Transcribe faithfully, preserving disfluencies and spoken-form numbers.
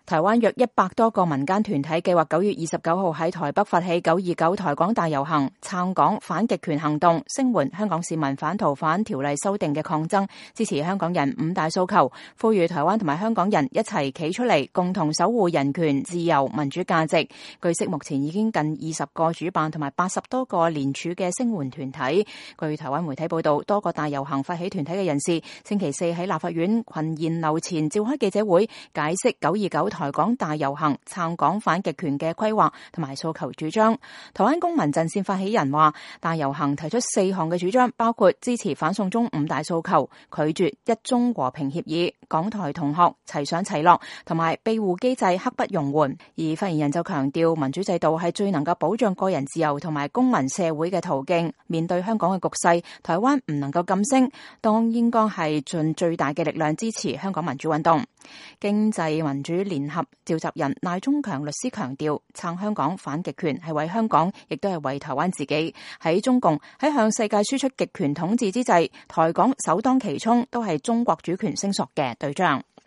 台灣約一百多個民間團體計劃九月二十九號喺台北發起九二九台港大遊行，撐港反極權行動，聲援香港市民反逃犯條例修訂嘅抗爭，支持香港人五大訴求，呼籲台灣同埋香港人一齊企出嚟，共同守護人權、自由、民主價值。據悉，目前已經近二十個主辦同埋八十多個聯署嘅聲援團體。據台灣媒體報道，多個大遊行發起團體嘅人士星期四喺立法院群賢樓前召開記者會，解釋九二九台港大遊行撐港反極權嘅規劃同埋訴求主張。台灣公民陣線發起人話，大遊行提出四項嘅主張，包括支持反送中五大訴求、拒絕一中和平協議、港台同學齊上齊落，同埋庇護機制刻不容緩。而發言人就強調，民主制度係最能夠保障個人自由同埋公民社會嘅途徑。面對香港嘅局勢，台灣唔能夠噤聲，當應該係盡最大嘅力量支持香港民主運動。經濟民主聯合召集人賴中強律師強調，撐香港反極權係為香港，亦都係為台灣自己。喺中共喺向世界輸出極權統治之際，台港首當其衝都係中國主權聲索嘅對象。